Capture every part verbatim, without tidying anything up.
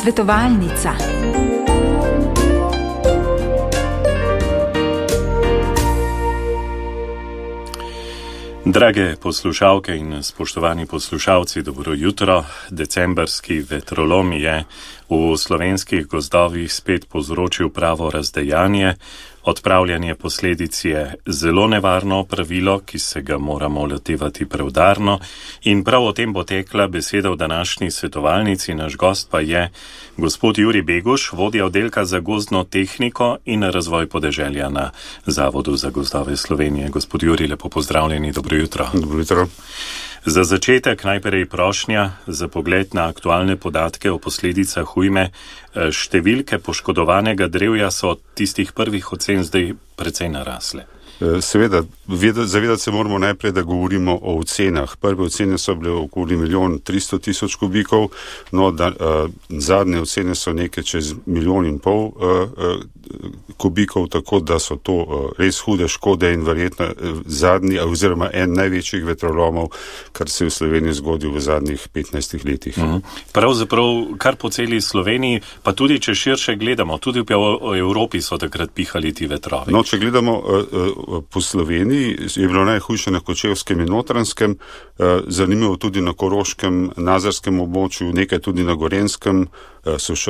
Svetovalnica. Drage poslušalke in spoštovani poslušalci, dobro jutro. Decembrski vetrolom je v slovenskih gozdovih spet povzročil pravo razdejanje. Odpravljanje posledic je zelo nevarno pravilo, ki se ga moramo lotevati preudarno, in prav o tem bo tekla beseda v današnji svetovalnici. Naš gost pa je gospod Jurij Beguš, vodja oddelka za gozdno tehniko in razvoj podeželja na Zavodu za gozdove Slovenije. Gospod Jurij, lepo pozdravljeni, dobro jutro. Dobro jutro. Za začetek najprej prošnja za pogled na aktualne podatke o posledicah ujme. Številke poškodovanega drevja so od tistih prvih ocen zdaj precej narasle. Seveda, zavedati se moramo najprej, da govorimo o ocenah. Prve ocene so bile okoli milijon tristo tisoč kubikov, no da, uh, zadnje ocene so nekaj čez milijon in pol uh, uh, kubikov, tako da so to uh, res hude škode in verjetno uh, zadnji, oziroma en največjih vetrolomov, kar se je v Sloveniji zgodil v zadnjih petnajstih letih. Mhm. Pravzaprav kar po celi Sloveniji, pa tudi če širše gledamo, tudi v Evropi so takrat pihali ti vetrovi. No, če gledamo uh, uh, po Sloveniji, je bilo najhujše na Kočevskem in Notranjskem, zanimivo tudi na Koroškem, Nazarskem območju, nekaj tudi na Gorenskem,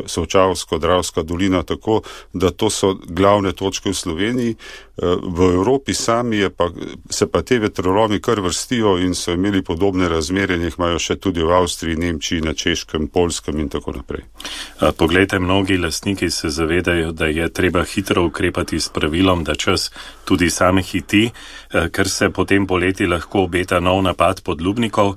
Solčavsko, Dravska dolina, tako da to so glavne točke v Sloveniji. V Evropi sami je pa, se pa te vetrolomi kar vrstijo in so imeli podobne razmere, in jih imajo še tudi v Avstriji, Nemčiji, na Češkem, Poljskem in tako naprej. Poglejte, mnogi lastniki se zavedajo, da je treba hitro ukrepati s pravilom, da čas tudi same hiti, ker se potem poleti lahko obeta nov napad podlubnikov.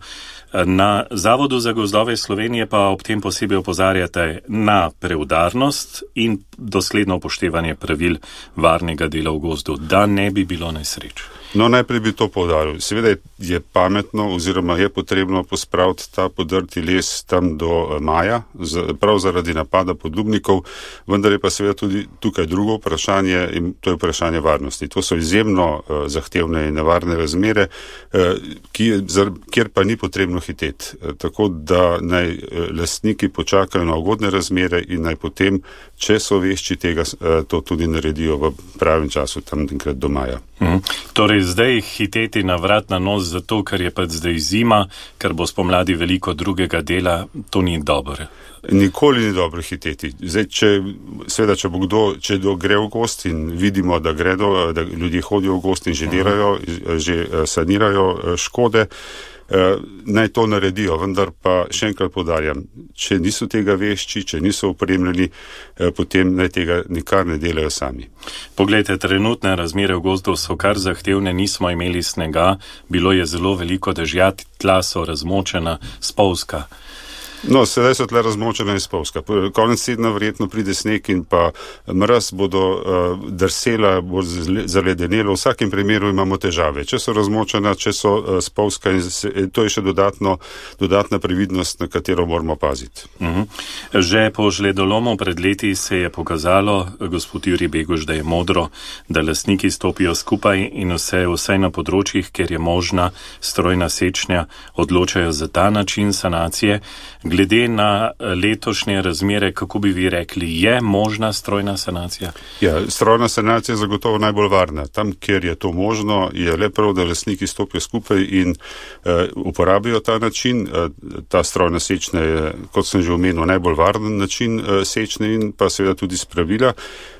Na Zavodu za gozdove Slovenije pa ob tem posebej opozarjate na preudarnost in dosledno upoštevanje pravil varnega dela v gozdu, da ne bi bilo nesreč. No, najprej bi to poudaril. Seveda je pametno oziroma je potrebno pospraviti ta podrti les tam do maja, prav zaradi napada podlubnikov, vendar je pa seveda tudi tukaj drugo vprašanje, in to je vprašanje varnosti. To so izjemno uh, zahtevne in nevarne razmere, uh, ki, kjer pa ni potrebno hiteti. Uh, tako da naj uh, lastniki počakajo na ugodne razmere in naj potem, če so vešči tega, uh, to tudi naredijo v pravem času, tam enkrat do maja. Mhm. Torej, zdaj hiteti na vrat na nos zato, ker je pa zdaj zima, ker bo spomladi veliko drugega dela, to ni dobro. Nikoli ni dobro hiteti. Zdaj, če, seveda, če bo kdo, če do gre v gost in vidimo, da gredo, da ljudje hodijo v gost in že delajo, že sanirajo škode, naj to naredijo, vendar pa še enkrat poudarjam, če niso tega vešči, če niso opremljeni, potem naj tega nikar ne delajo sami. Poglejte, trenutne razmere v gozdu so kar zahtevne, nismo imeli snega, bilo je zelo veliko dežja, tla so razmočena, spolzka. No, sedaj so tle razmočena in spolzka. Konec tedna verjetno pride sneg in pa mraz, bodo uh, drsela, bo zaledenelo. V vsakem primeru imamo težave. Če so razmočena, če so uh, spolzka, in se, to je še dodatno, dodatna previdnost, na katero moramo paziti. Uh-huh. Že po žledolomu pred leti se je pokazalo, gospod Jurij Beguš, da je modro, da lastniki stopijo skupaj in vse, vse na področjih, kjer je možna strojna sečnja, odločajo za ta način sanacije. Glede na letošnje razmere, kako bi vi rekli, je možna strojna sanacija? Ja, strojna sanacija je zagotovo najbolj varna. Tam, kjer je to možno, je le prav, da lastniki stopijo skupaj in uh, uporabijo ta način. Uh, ta strojna sečnja je, kot sem že omenil, najbolj varen način uh, sečnje in pa seveda tudi spravila.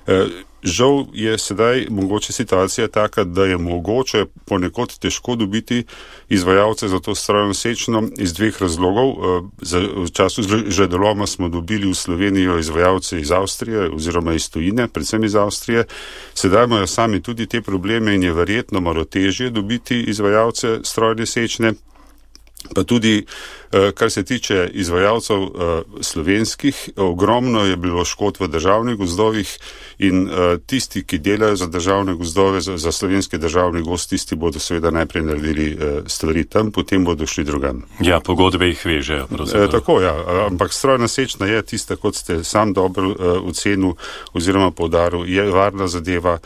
Uh, Žal je sedaj mogoče situacija taka, da je mogoče ponekod težko dobiti izvajalce za to strojno sečno iz dveh razlogov. V času žledoloma smo dobili v Slovenijo izvajalce iz Avstrije oziroma iz tujine, predvsem iz Avstrije. Sedaj imajo sami tudi te probleme in je verjetno malo težje dobiti izvajalce strojne sečne. Pa tudi, kar se tiče izvajalcev slovenskih, ogromno je bilo škod v državnih gozdovih in tisti, ki delajo za državne gozdove, za slovenski državni gozd, tisti bodo seveda najprej naredili stvari tam, potem bodo šli drugam. Ja, pogodbe jih vežejo. E, tako, ja, ampak strojna sečna je tista, kot ste sam dobro ocenil oziroma poudaril, je varna zadeva.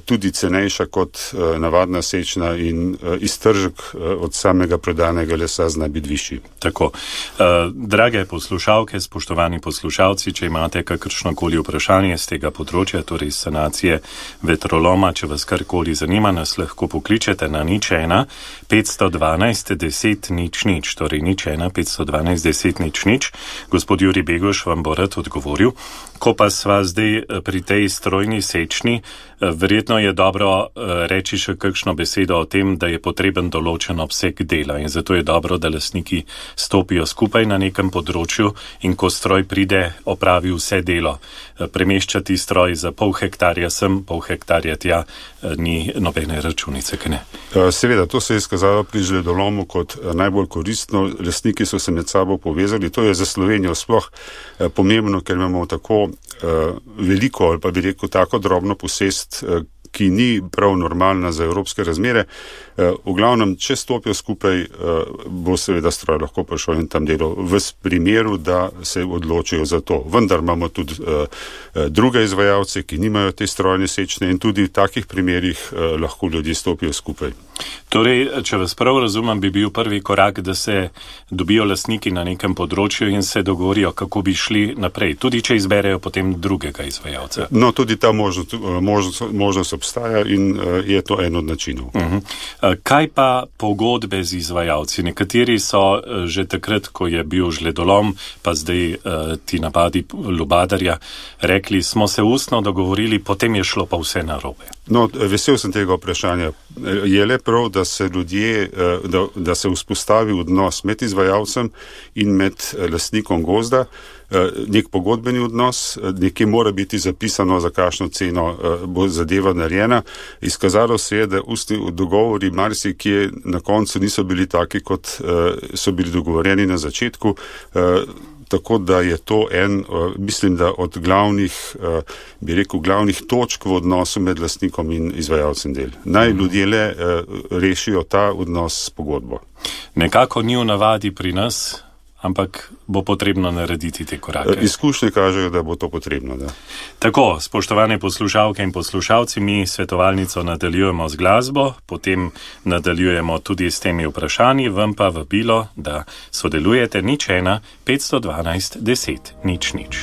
tudi cenejša kot navadna sečna in iztržek od samega prodanega lesa zna biti višji. Tako. Drage poslušalke, spoštovani poslušalci, če imate kakršnokoli vprašanje z tega področja, torej sanacije vetroloma, če vas karkoli zanima, nas lahko pokličete na nič ena petsto dvanajst deset nič nič, torej nič ena petsto dvanajst deset nič nič. Gospod Jurij Begoš vam bo rad odgovoril. Ko pa sva zdaj pri tej strojni sečni, verjetno je dobro reči še kakšno besedo o tem, da je potreben določen obseg dela in zato je dobro, da lastniki stopijo skupaj na nekem področju in ko stroj pride, opravi vse delo. Premeščati stroj za pol hektarja sem, pol hektarja tja, ni nobene računice, kaj ne? Seveda, to se je izkazalo pri žledolomu kot najbolj koristno. Lastniki so se med sabo povezali. To je za Slovenijo sploh pomembno, ker imamo tako veliko ali pa bi rekel tako drobno posest, ki ni prav normalna za evropske razmere. V glavnem, če stopijo skupaj, bo seveda stroj lahko prišel in tam delo v primeru, da se odločijo za to. Vendar imamo tudi druge izvajalce, ki nimajo te strojne sečne in tudi v takih primerih lahko ljudje stopijo skupaj. Torej, če vas prav razumem, bi bil prvi korak, da se dobijo lastniki na nekem področju in se dogovorijo, kako bi šli naprej, tudi če izberejo potem drugega izvajalca. No, tudi ta možnost, možnost, možnost obstaja in je to en od načinov. Uh-huh. Kaj pa pogodbe z izvajalci? Nekateri so že takrat, ko je bil žledolom, pa zdaj ti napadi lubadarja, rekli, smo se ustno dogovorili, potem je šlo pa vse narobe. No, vesel sem tega vprašanja. Je le prav, da se ljudje, da, da se vzpostavi odnos med izvajalcem in med lastnikom gozda, nek pogodbeni odnos, nekje mora biti zapisano, za kakšno ceno bo zadeva narejena. Izkazalo se je, da ustni dogovori marsikje na koncu niso bili taki, kot so bili dogovorjeni na začetku. Tako da je to en, mislim, da od glavnih, bi rekel, glavnih točk v odnosu med lastnikom in izvajalcem del. Naj ljudje le rešijo ta odnos s pogodbo. Nekako ni v navadi pri nas, ampak bo potrebno narediti te korake. Izkušnje kažejo, da bo to potrebno, da. Tako, spoštovane poslušalke in poslušalci, mi svetovalnico nadaljujemo z glasbo, potem nadaljujemo tudi s temi vprašanji, vam pa vabilo, da sodelujete nič ena petsto dvanajst deset nič nič.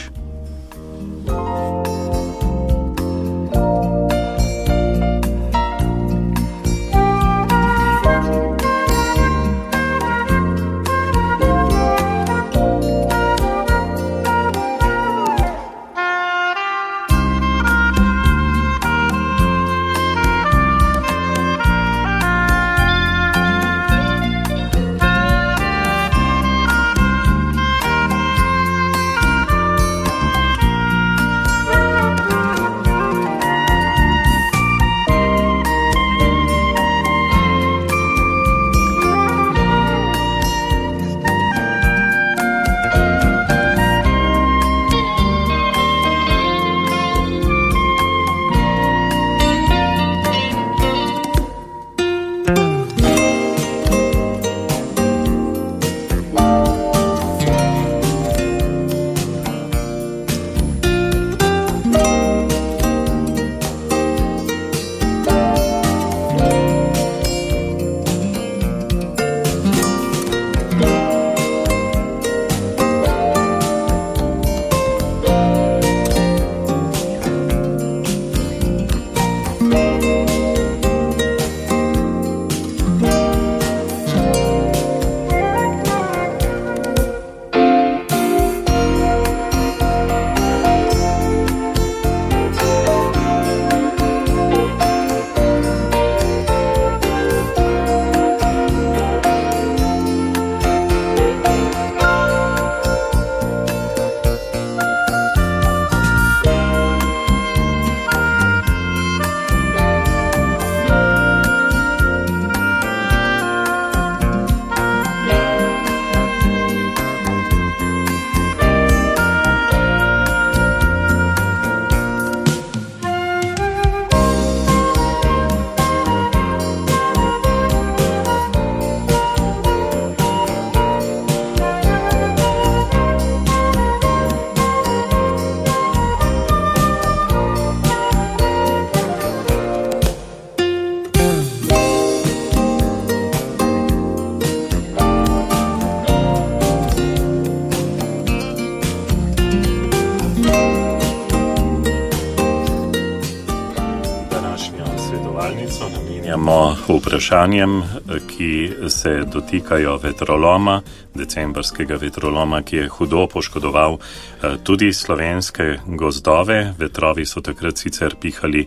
prisluhnemo vprašanjem, ki se dotikajo vetroloma, decembrskega vetroloma, ki je hudo poškodoval tudi slovenske gozdove. Vetrovi so takrat sicer pihali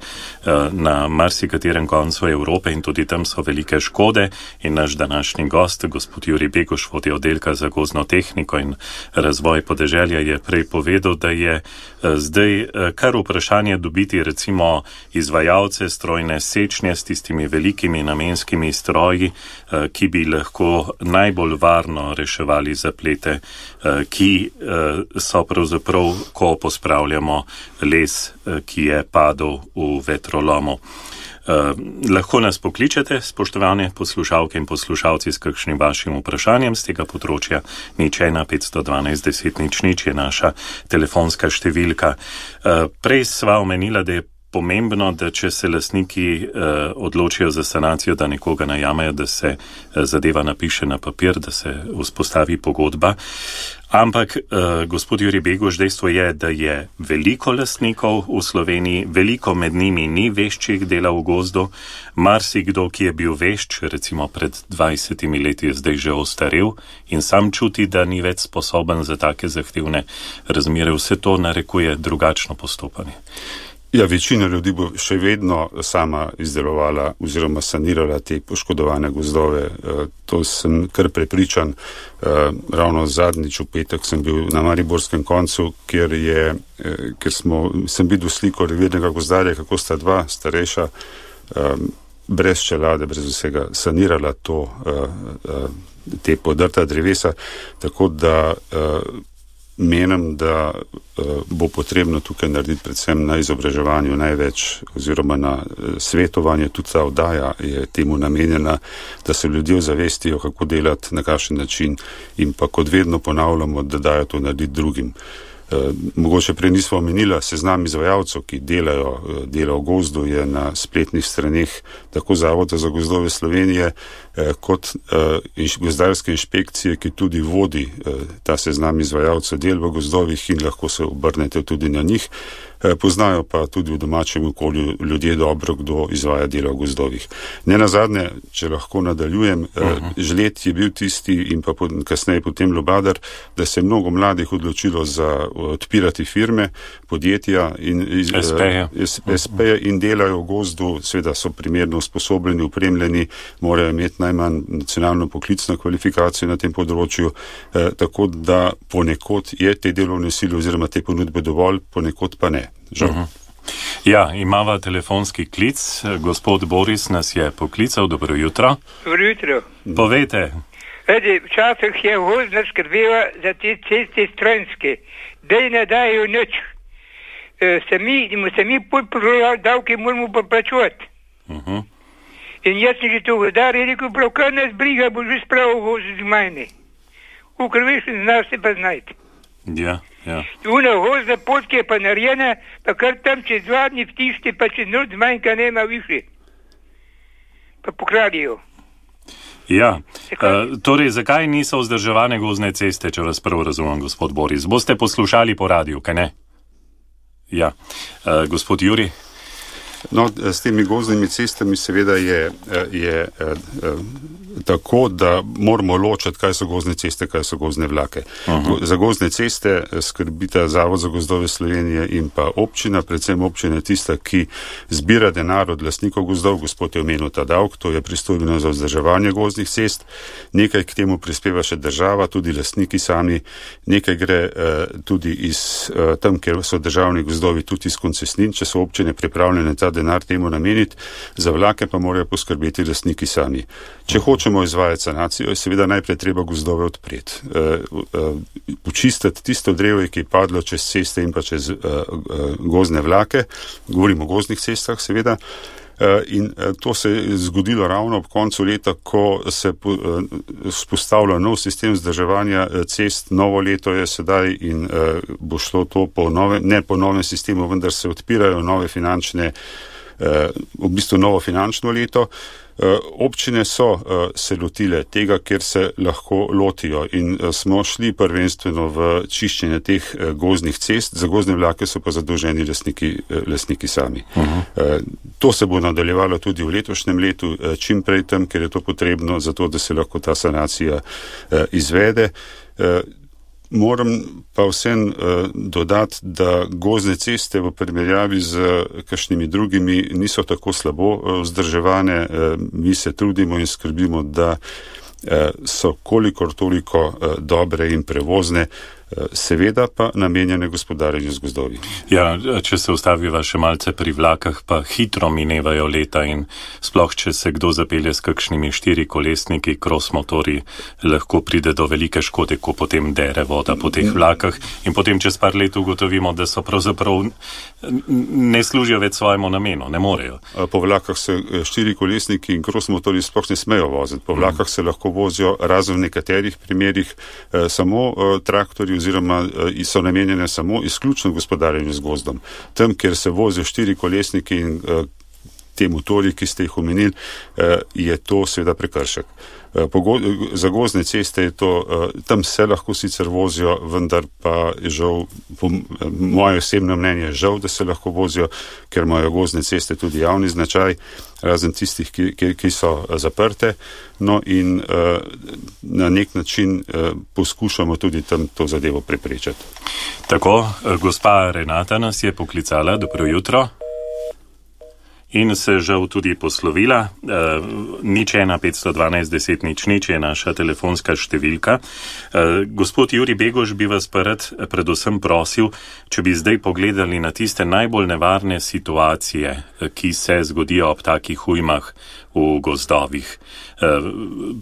na marsikaterem koncu Evrope in tudi tam so velike škode. In naš današnji gost, gospod Jurij Beguš, vodja oddelka za gozdno tehniko in razvoj podeželja, je prej povedal, da je zdaj kar vprašanje dobiti recimo izvajalce strojne sečnje s tistimi velikimi namenskimi stroji, ki bi lahko najbolj varno reševali zaplete, ki so pravzaprav, ko pospravljamo les, ki je padel v vetrolomu. Uh, lahko nas pokličete, spoštovane poslušalke in poslušalci, s kakšnim vašim vprašanjem z tega področja. Nič ena petsto dvanajst deset nič nič je naša telefonska številka. Uh, prej sva omenila, da je pomembno, da če se lastniki uh, odločijo za sanacijo, da nekoga najamejo, da se uh, zadeva napiše na papir, da se vzpostavi pogodba. Ampak, uh, gospod Jurij Beguš, dejstvo je, da je veliko lastnikov v Sloveniji, veliko med njimi ni veščih dela v gozdu. Marsikdo, ki je bil vešč, recimo pred dvajsetimi leti, je zdaj že ostarel in sam čuti, da ni več sposoben za take zahtevne razmere. Vse to narekuje drugačno postopanje. Ja, večina ljudi bo še vedno sama izdelovala oziroma sanirala te poškodovane gozdove. To sem kar prepričan. Ravno zadnjič v petek sem bil na mariborskem koncu, kjer, je, kjer smo, sem videl sliko revirnega gozdarja, kako sta dva starejša brez čelade, brez vsega sanirala to, te podrta drevesa, tako da menim, da uh, bo potrebno tukaj narediti predvsem na izobraževanju največ oziroma na uh, svetovanju. Tudi ta oddaja je temu namenjena, da se ljudje zavestijo, kako delati, na kakšen način in pa kot vedno ponavljamo, da dajo to narediti drugim. Uh, mogoče prej nismo omenila, seznam izvajalcev, ki delajo uh, dela v gozdu, je na spletnih straneh tako Zavoda za gozdove Slovenije uh, kot uh, inš, gozdarske inšpekcije, ki tudi vodi uh, ta seznam izvajalcev del v gozdovih in lahko se obrnete tudi na njih. Uh, poznajo pa tudi v domačem okolju ljudje dobro, kdo izvaja dela v gozdovih. Ne nazadnje, če lahko nadaljujem, uh, žled je bil tisti in pa pod, kasneje potem Lubadar, da se je mnogo mladih odločilo za odpirati firme, podjetja in es pe je in delajo v gozdu, seveda so primerno usposobljeni, upremljeni, morajo imeti najmanj nacionalno poklicno kvalifikacijo na tem področju, eh, tako da ponekod je te delovne sile oziroma te ponudbe dovolj, ponekod pa ne. Žal. Uh-huh. Ja, imava telefonski klic. Gospod Boris nas je poklical. Dobro jutro. Dobro jutro. Povejte. Vedi, včasih je gozdna skrbela za te ceste strojnske. Dej ne dajo nič. E, sami, sami podporovali davke moramo pa plačovati. Uh-huh. In jaz sem že to godar je rekel, prav kar nas briga, bo že spravil gozd z majne. Ukor veš, znaš se pa znajti. Ja, ja. Una gozdna pot, ki je pa narejena, pa kar tam čez dva dni vtišti, pa čez noč zmanjka nema više. Pa pokradijo. Ja, uh, torej zakaj niso vzdrževane gozdne ceste, če vas prvo razumem, gospod Boris? Boste poslušali po radiju, kaj ne? Ja, uh, gospod Jurij? No, s temi gozdnimi cestami seveda je, je, je tako, da moramo ločiti, kaj so gozdne ceste, kaj so gozdne vlake. Uh-huh. Za gozdne ceste skrbita Zavod za gozdove Slovenije in pa občina, predvsem občina je tista, ki zbira denar od lastnikov gozdov, gospod je omenil ta davek, to je pristojbino za vzdrževanje gozdnih cest, nekaj k temu prispeva še država, tudi lastniki sami, nekaj gre uh, tudi iz uh, tam, kjer so državni gozdovi, tudi iz koncesnin, če so občine pripravljene ta denar temu nameniti, za vlake pa morajo poskrbeti lastniki sami. Če hočemo izvajati sanacijo, je seveda najprej treba gozdove odpreti. Uh, uh, počistiti tisto drevje, ki je padlo čez ceste in pa čez uh, uh, gozdne vlake, govorimo o gozdnih cestah seveda, uh, in uh, to se je zgodilo ravno ob koncu leta, ko se uh, spostavlja nov sistem vzdrževanja cest, novo leto je sedaj in uh, bo šlo to po novem, ne po novem sistemu, vendar se odpirajo nove finančne, uh, v bistvu novo finančno leto. Občine so se lotile tega, ker se lahko lotijo in smo šli prvenstveno v čiščenje teh gozdnih cest, za gozdne vlake so pa zadolženi lastniki, lastniki sami. Uh-huh. To se bo nadaljevalo tudi v letošnjem letu, čim prej tam, ker je to potrebno, zato da se lahko ta sanacija izvede. Moram pa vsem uh, dodati, da gozdne ceste v primerjavi z kakšnimi drugimi niso tako slabo uh, vzdrževane. Uh, mi se trudimo in skrbimo, da uh, so kolikor toliko uh, dobre in prevozne, uh, seveda pa namenjene gospodarjenju z gozdovi. Ja, če se ustaviva še malce pri vlakah, pa hitro minevajo leta in sploh, če se kdo zapelje s kakšnimi štirikolesniki, cross motori, lahko pride do velike škode, ko potem dere voda po teh vlakah in potem čez par let ugotovimo, da so pravzaprav ne služijo več svojemu namenu, ne morejo. Po vlakah se štirikolesniki in cross motori sploh ne smejo voziti. Po vlakah se lahko vozijo razen v nekaterih primerih eh, samo eh, traktorji oziroma eh, so namenjene samo izključno gospodarjenju z gozdom. Tam, kjer se vozijo štirikolesniki in eh, te motori, ki ste jih omenili, eh, je to seveda prekršek. Za gozdne ceste je to, tam se lahko sicer vozijo, vendar pa je žal, po moje osebno mnenje, žal, da se lahko vozijo, ker imajo gozdne ceste tudi javni značaj, razen tistih, ki, ki, ki so zaprte. No in na nek način poskušamo tudi tam to zadevo preprečiti. Tako, gospa Renata nas je poklicala, dobro jutro. In se žal tudi poslovila. E, nič ena petsto dvanajst deset nič nič je naša telefonska številka. E, gospod Juri Begoš bi vas pa rad predvsem prosil, če bi zdaj pogledali na tiste najbolj nevarne situacije, ki se zgodijo ob takih ujmah v gozdovih. E,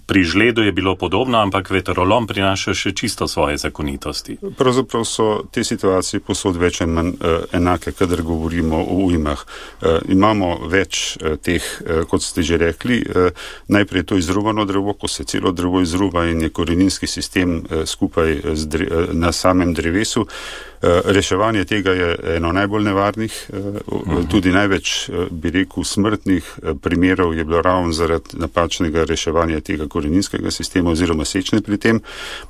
pri žledu je bilo podobno, ampak vetrolom prinaša še čisto svoje zakonitosti. Pravzaprav so te situacije posod več in manj uh, enake, kadar govorimo o ujmah. Uh, imamo več uh, teh, uh, kot ste že rekli, uh, najprej je to izrubano drevo, ko se celo drevo izruba in je koreninski sistem uh, skupaj z dre, uh, na samem drevesu. Uh, reševanje tega je eno najbolj nevarnih, uh, uh-huh. tudi največ, uh, bi rekel, smrtnih uh, primerov je bilo ravno zaradi napačnega reševanja tega koreninskega sistema oziroma sečne pri tem.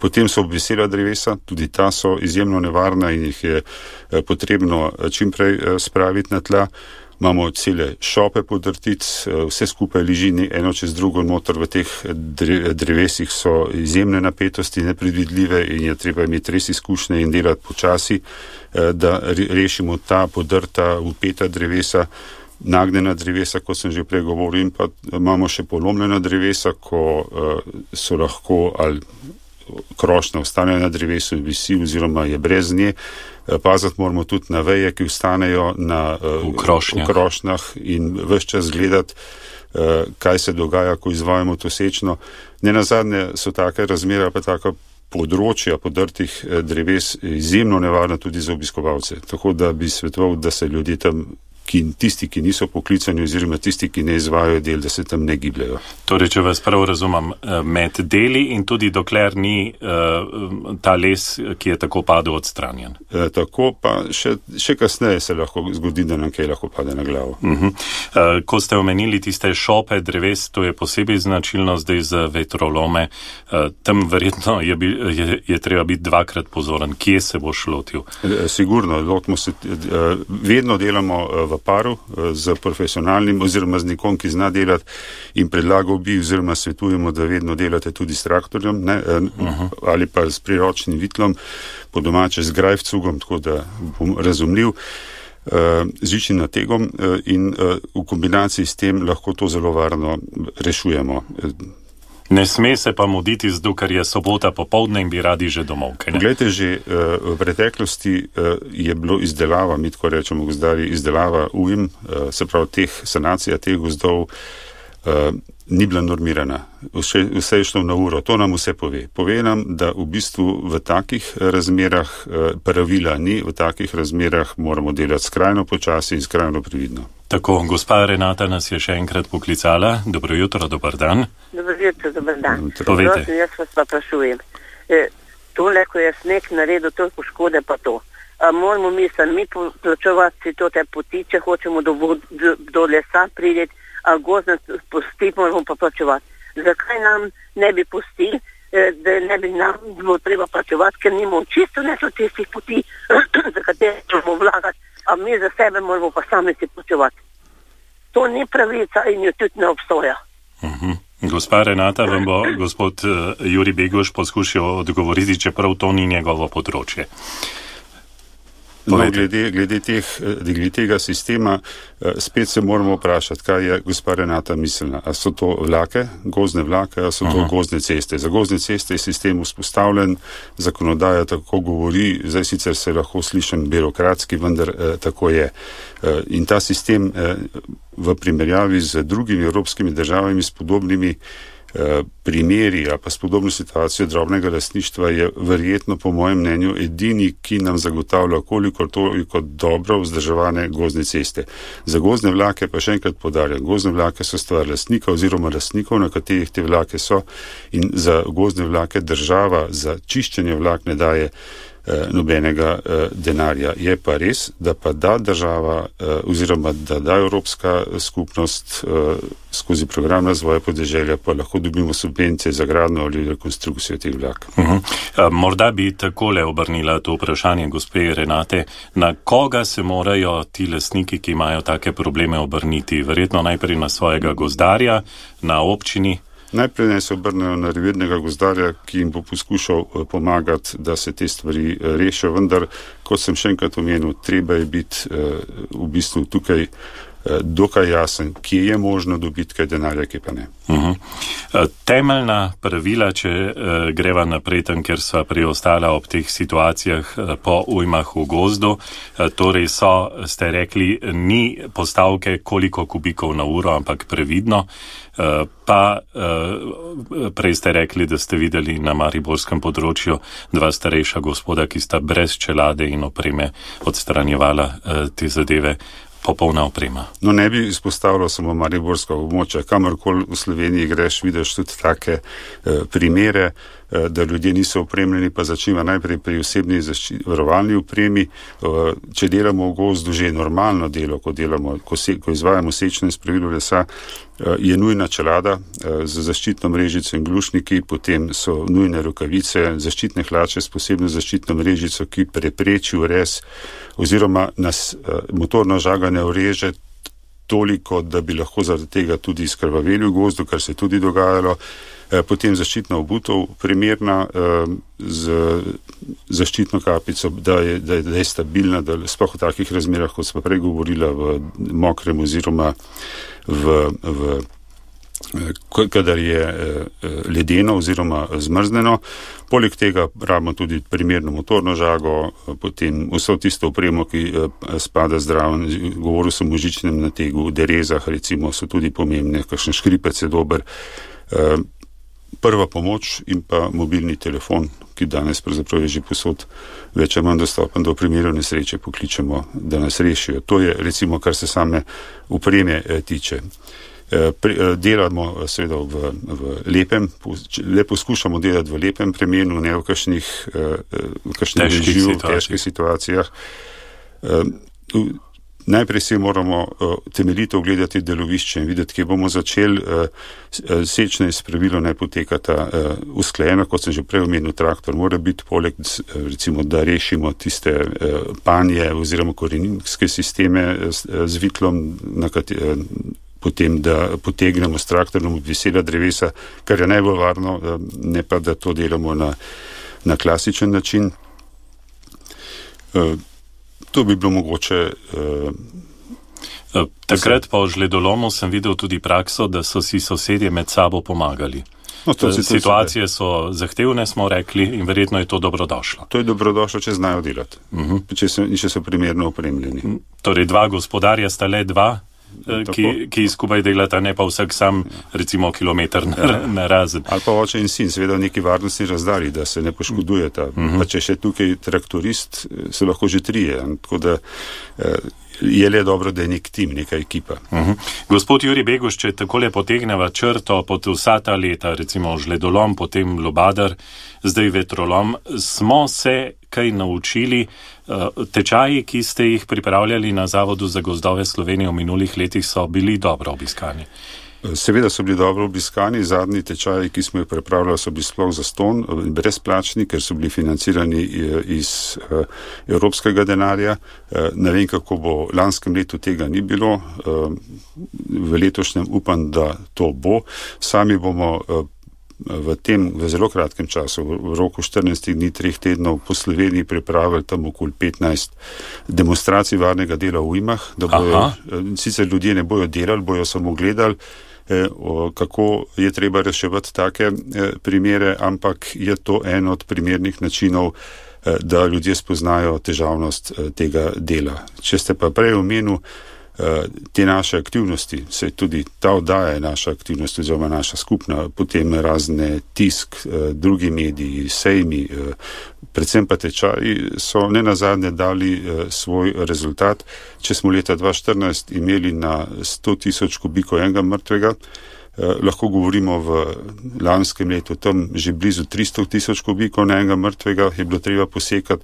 Potem so obvisela drevesa, tudi ta so izjemno nevarna in jih je uh, potrebno čimprej uh, spraviti na tla. Imamo cele šope podrtic, vse skupaj leži eno čez drugo noter, v teh drevesih so izjemne napetosti, nepredvidljive in je treba imeti res izkušnje in delati počasi, da rešimo ta podrta, upeta drevesa, nagnjena drevesa, kot sem že prej govoril, in pa imamo še polomljena drevesa, ko so lahko ali krošnja ostane na drevesu, visi oziroma je brez nje. Paziti moramo tudi na veje, ki ostanejo na v krošnjah, v krošnjah in ves čas gledati, kaj se dogaja, ko izvajamo to sečno. Nenazadnje so take razmere, pa taka področja podrtih dreves izjemno nevarna tudi za obiskovalce. Tako da bi svetoval, da se ljudje tam, ki, tisti, ki niso poklicani oziroma tisti, ki ne izvajajo del, da se tam ne gibljajo. Torej, če vas prav razumem, med deli in tudi dokler ni uh, ta les, ki je tako padel, odstranjen. E, tako pa še, še kasneje se lahko zgodi, da nam kaj lahko pade na glavo. Uh-huh. Uh, ko ste omenili tiste šope dreves, to je posebej značilno zdaj za vetrolome. Uh, tam verjetno je, bi, je, je treba biti dvakrat pozoren. Kje se boš lotil? E, sigurno, lotimo se, uh, vedno delamo v paru z profesionalnim oziroma z nekom, ki zna delati, in predlagal bi oziroma svetujemo, da vedno delate tudi s traktorjem, ne, uh-huh. ali pa s priročnim vitlom, po domače z grajvcugom, tako da bom razumljiv, z žičnim nategom in v kombinaciji s tem lahko to zelo varno rešujemo. Ne sme se pa muditi zdu, ker je sobota popoldne in bi radi že domov. Poglejte, že uh, v preteklosti uh, je bilo izdelava, mi tako rečemo gozdarji, izdelava ujm, uh, se pravi teh sanacija teh gozdov uh, ni bila normirana. Vse, vse je šlo na uro. To nam vse pove. Pove nam, da v bistvu v takih razmerah uh, pravila ni, v takih razmerah moramo delati skrajno počasi in skrajno previdno. Tako, gospa Renata nas je še enkrat poklicala. Dobro jutro, dober dan. Dobro jutro, dober dan. Povejte. Jaz vas pa prašujem. E, tole, ko je sneg naredil toliko škode, pa to. A moramo mi sami plačevati to te poti, če hočemo do, do, do lesa prideti, ali gozdne pusti, moramo pa plačevati. Zakaj nam ne bi pustili, da ne bi nam bilo treba plačevati, ker nimamo čisto neto tistih poti, za katere moramo vlagati, a mi za sebe moramo pa sami si plačevati. To ni pravica in jo tudi ne obstoja. Uh-huh. Gospa Renata, vam bo gospod Jurij Beguš poskušal odgovoriti, čeprav to ni njegovo področje. No, glede, glede, teh, glede tega sistema, spet se moramo vprašati, kaj je gospa Renata mislila. A so to vlake, gozdne vlake, a so to Aha. gozdne ceste. Za gozdne ceste je sistem vzpostavljen, zakonodaja tako govori, zdaj sicer se lahko slišim birokratski, vendar eh, tako je. Eh, in ta sistem eh, v primerjavi z drugimi evropskimi državami s podobnimi primeri ali pa s podobno situacijo drobnega lastništva je verjetno po mojem mnenju edini, ki nam zagotavlja koliko toliko dobro vzdrževane gozdne ceste. Za gozdne vlake pa še enkrat poudarjam, gozdne vlake so stvar lastnika oziroma lastnikov, na katerih te vlake so, in za gozdne vlake država za čiščenje vlak ne daje nobenega eh, denarja. Je pa res, da pa da država eh, oziroma da da Evropska skupnost eh, skozi program razvoja podeželja pa lahko dobimo subvencije za gradnjo ali rekonstrukcijo teh vlak. Uh-huh. Uh, morda bi takole obrnila to vprašanje gospe Renate. Na koga se morajo ti lastniki, ki imajo take probleme, obrniti? Verjetno najprej na svojega gozdarja, na občini? Najprej naj se obrnejo na revirnega gozdarja, ki jim bo poskušal pomagati, da se te stvari rešijo, vendar, kot sem še enkrat omenil, treba je biti v bistvu tukaj dokaj jasen, kje je možno dobiti kaj denarja, kje pa ne. Uh-huh. Temeljna pravila, če uh, greva naprej tam, ker sva preostala ob teh situacijah uh, po ujmah v gozdu, uh, torej so, ste rekli, ni postavke koliko kubikov na uro, ampak previdno. Uh, pa uh, prej ste rekli, da ste videli na mariborskem področju dva starejša gospoda, ki sta brez čelade in opreme odstranjevala uh, te zadeve. Popolna oprema. No, ne bi izpostavljal samo mariborska območja. Kamorkoli v Sloveniji greš, vidiš tudi take eh, primere, eh, da ljudje niso opremljeni, pa začnimo najprej pri osebni varovalni opremi. Eh, če delamo v gozdu že normalno delo, ko, delamo, ko, se, ko izvajamo sečno in spravilno lesa, eh, je nujna čelada eh, z zaščitno mrežico in glušniki, potem so nujne rokavice, zaščitne hlače s posebno zaščitno mrežico, ki prepreči urez oziroma nas eh, motorno žaganje ureže toliko, da bi lahko zaradi tega tudi izkrvaveli v gozdu, kar se je tudi dogajalo. E, potem zaščitna obutev, primerna e, z zaščitno kapico, da je, da je, da je stabilna, da sploh v takih razmerah, kot smo prej govorila, v mokrem oziroma v, v kadar je ledeno oziroma zmrzneno. Poleg tega rabimo tudi primerno motorno žago, potem vso tisto opremo, ki spada zdraven, govoril sem o žičnem nategu, derezah recimo so tudi pomembne, kakšen škripec je dober. Prva pomoč in pa mobilni telefon, ki danes pravzaprav je že posod več ali manj dostopen, do primerov nesreče pokličemo, da nas rešijo. To je recimo, kar se same opreme tiče. Delamo seveda v, v lepem, le poskušamo delati v lepem premenu, ne v kakšnih, v kakšnih reživ, v težkih situacijah. Najprej se moramo temeljito ogledati delovišče in videti, kje bomo začeli. Sečne spravilo naj potekata usklajeno, kot sem že prej omenil, traktor mora biti poleg, recimo, da rešimo tiste panje oziroma koreninske sisteme z vitlom, na kateri potem, da potegnemo s traktorjem od visela drevesa, kar je najbolj varno, ne pa, da to delamo na, na klasičen način. To bi bilo mogoče. Takrat po žledolomu sem videl tudi prakso, da so si sosedje med sabo pomagali. No, to situacije so zahtevne, smo rekli, in verjetno je to dobrodošlo. To je dobrodošlo, če znajo delati, uh-huh. če, so, če so primerno opremljeni. Torej, dva gospodarja sta le dva, Ki, ki skupaj delata, ne pa vsak sam, recimo, kilometr na, ja. na razen. Ali pa oče in sin, seveda v neki varnostni razdalji, da se ne poškodujeta. Uh-huh. Pa če še tukaj traktorist, so lahko že trije. Tako da je le dobro, da je nek tim, neka ekipa. Uh-huh. Gospod Jurij Beguš, če takole potegneva črto pod vsa ta leta, recimo žledolom, potem lubadar, zdaj vetrolom, smo se kaj naučili? Tečaji, ki ste jih pripravljali na Zavodu za gozdove Slovenije v minulih letih, so bili dobro obiskani. Seveda so bili dobro obiskani, zadnji tečaji, ki smo jih pripravljali, so bili sploh zastonj, brezplačni, ker so bili financirani iz evropskega denarja. Ne vem, kako bo, lanskem letu tega ni bilo, v letošnjem upam, da to bo. Sami bomo v tem, v zelo kratkem času, v roku štirinajstih dni, treh tednov po Sloveniji pripravili tam okoli petnajst demonstracij varnega dela v ujmah, da bojo, sicer ljudje ne bojo delali, bojo samo gledali, kako je treba reševati take primere, ampak je to en od primernih načinov, da ljudje spoznajo težavnost tega dela. Če ste pa prej omenil te naše aktivnosti, se tudi ta oddaja je naša aktivnost oziroma naša skupna, potem razne tisk, drugi mediji, sejmi, predvsem pa tečaji so nenazadnje dali svoj rezultat. Če smo leta dva tisoč štirinajst imeli na sto tisoč kubikov enega mrtvega, lahko govorimo v lanskem letu tam že blizu tristo tisoč kubikov na enega mrtvega, je bilo treba posekati,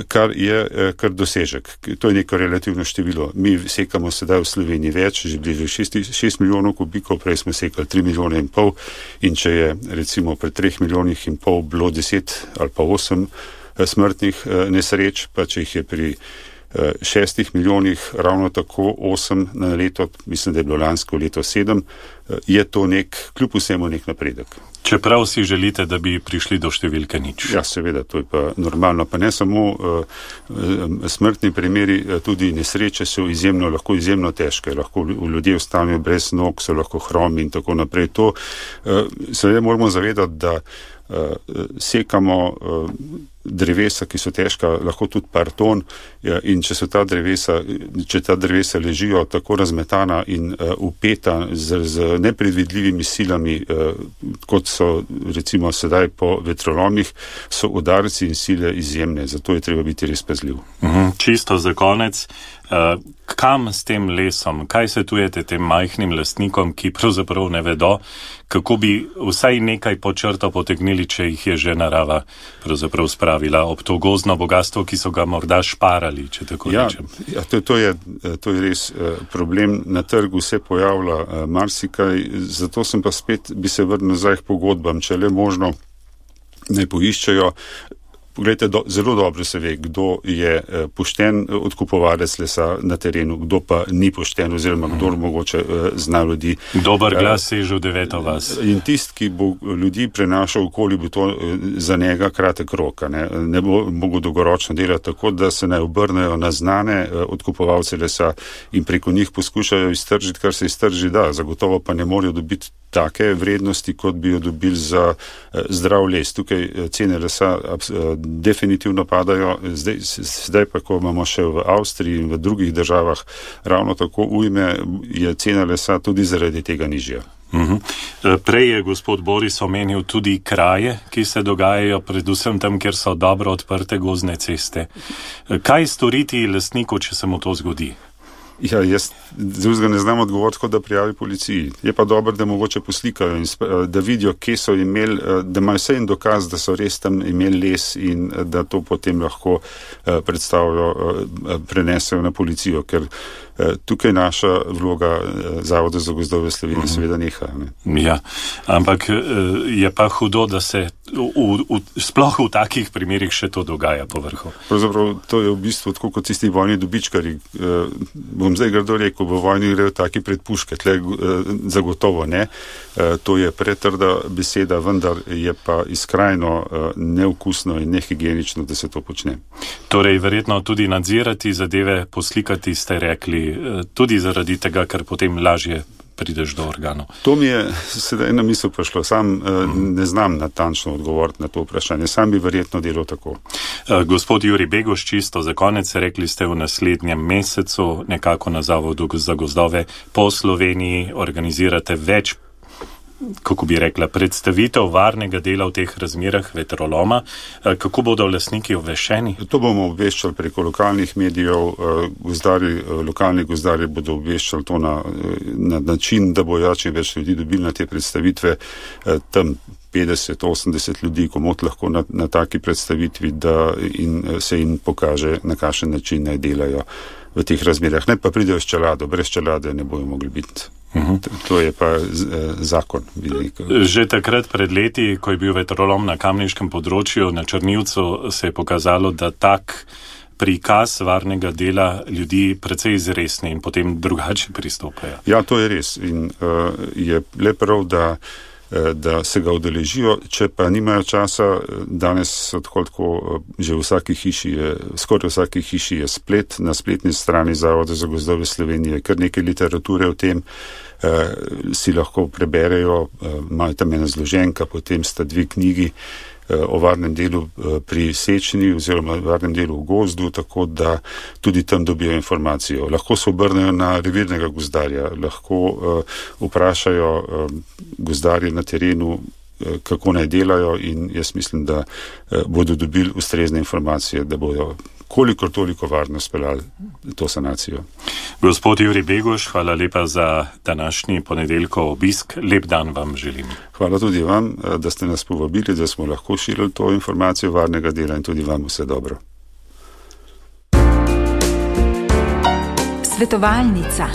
kar je kar dosežek. To je neko relativno število. Mi sekamo sedaj v Sloveniji več, že blizu šest milijonov kubikov, prej smo sekali tri milijone in pol, in če je recimo pri treh milijonih in pol bilo deset ali pa osem smrtnih nesreč, pa če jih je pri šestih milijonih ravno tako osem na leto, mislim, da je bilo lansko leto sedem, je to nek, kljub vsemu nek napredek. Čeprav si želite, da bi prišli do številke nič. Ja, seveda, to je pa normalno. Pa ne samo uh, smrtni primeri, tudi nesreče so izjemno, lahko izjemno težke, lahko ljudje ostanejo brez nog, so lahko hromi in tako naprej. To uh, seveda moramo zavedati, da uh, sekamo uh, drevesa, ki so težka, lahko tudi par ton, in če so ta drevesa, če ta drevesa ležijo tako razmetana in uh, upeta z, z nepredvidljivimi silami, uh, kot so recimo sedaj po vetrolomih, so udarci in sile izjemne, zato je treba biti res pazljiv. Mhm, čisto za konec, uh, kam s tem lesom, kaj svetujete tem majhnim lastnikom, ki pravzaprav ne vedo, kako bi vsaj nekaj po črto potegnili, če jih je že narava pravzaprav spravila ob to gozdno bogatstvo, ki so ga morda šparali, če tako ja, rečem. Ja, to, to, je, to je res uh, problem. Na trgu se pojavlja uh, marsikaj, zato sem pa spet, bi se vrnil nazaj k pogodbam, če le možno ne poiščejo. Poglejte, do, zelo dobro se ve, kdo je eh, pošten odkupovalec lesa na terenu, kdo pa ni pošten oziroma kdo mm. mogoče eh, zna ljudi. Dober glas eh, seže v deveto vas. In tist, ki bo ljudi prenašal okoli, bo to eh, za njega kratek rok. Ne, ne bo mogel dolgoročno delati tako, da se naj obrnejo na znane eh, odkupovalce lesa in preko njih poskušajo iztržiti, kar se iztrži da. Zagotovo pa ne morejo dobiti take vrednosti, kot bi jo dobili za eh, zdrav les. Tukaj eh, cene lesa eh, definitivno padajo. Zdaj, zdaj pa, ko imamo še v Avstriji in v drugih državah ravno tako ujme, je cena lesa tudi zaradi tega nižja. Uh-huh. Prej je gospod Boris omenil tudi kraje, ki se dogajajo predvsem tam, kjer so dobro odprte gozdne ceste. Kaj storiti lastniku, če se mu to zgodi? Ja, jaz drugega ne znam odgovoriti, kot da prijavi policiji. Je pa dobro, da mogoče poslikajo in da vidijo, kje so imeli, da imajo vse en dokaz, da so res tam imeli les in da to potem lahko predstavijo, prenesejo na policijo, ker tukaj naša vloga Zavoda za gozdove Slovenije uh-huh. seveda neha. Ne? Ja, ampak je pa hudo, da se v, v, sploh v takih primerih še to dogaja po vrhu. Pravzaprav to je v bistvu tako kot tisti vojni dobičkari. Bom zdaj grdo rekel, v vojni grejo taki pred puške, tle zagotovo ne. To je pretrda beseda, vendar je pa iskrajno neukusno in nehigienično, da se to počne. Torej, verjetno tudi nadzirati zadeve, poslikati ste rekli, tudi zaradi tega, ker potem lažje prideš do organov. To mi je sedaj na misel prišlo. Sam mm. ne znam natančno odgovoriti na to vprašanje. Sam bi verjetno delal tako. Gospod Jurij Beguš, čisto za konec, rekli ste v naslednjem mesecu nekako na Zavodu za gozdove po Sloveniji organizirate več kako bi rekla, predstavitev varnega dela v teh razmerah vetroloma. Kako bodo lastniki obveščeni? To bomo obveščali preko lokalnih medijev. Gozdari, lokalni gozdarji bodo obveščali to na, na način, da bo ja čim več ljudi dobili na te predstavitve. Tam petdeset osemdeset ljudi komot lahko na, na taki predstavitvi, da in se jim pokaže, na kakšen način naj delajo v teh razmerah. Ne pa pridejo s čelado, brez čelade ne bojo mogli biti. Uh-huh. To je pa z, eh, zakon. Že takrat pred leti, ko je bil vetrolom na kamniškem področju, na Črnivcu, se je pokazalo, da tak prikaz varnega dela ljudi precej izresni in potem drugače pristopajo. Ja, to je res. In uh, je le prav, da da se ga udeležijo, če pa nimajo časa. Danes tako, tako že v vsaki hiši je, skoraj v vsaki hiši je splet, na spletni strani Zavoda za gozdove Slovenije, kar nekaj literature o tem, eh, si lahko preberejo, eh, imajo tam ena zloženka, potem sta dve knjigi eh, o varnem delu eh, pri sečenju oziroma varnem delu v gozdu, tako da tudi tam dobijo informacijo. Lahko se obrnejo na revirnega gozdarja, lahko eh, vprašajo eh, gozdarje na terenu, eh, kako naj delajo, in jaz mislim, da eh, bodo dobili ustrezne informacije, da bodo kolikor toliko varno speljali to sanacijo. Gospod Jurij Beguš, hvala lepa za današnji ponedeljkov obisk. Lep dan vam želim. Hvala tudi vam, da ste nas povabili, da smo lahko širili to informacijo varnega dela, in tudi vam vse dobro. Svetovalnica.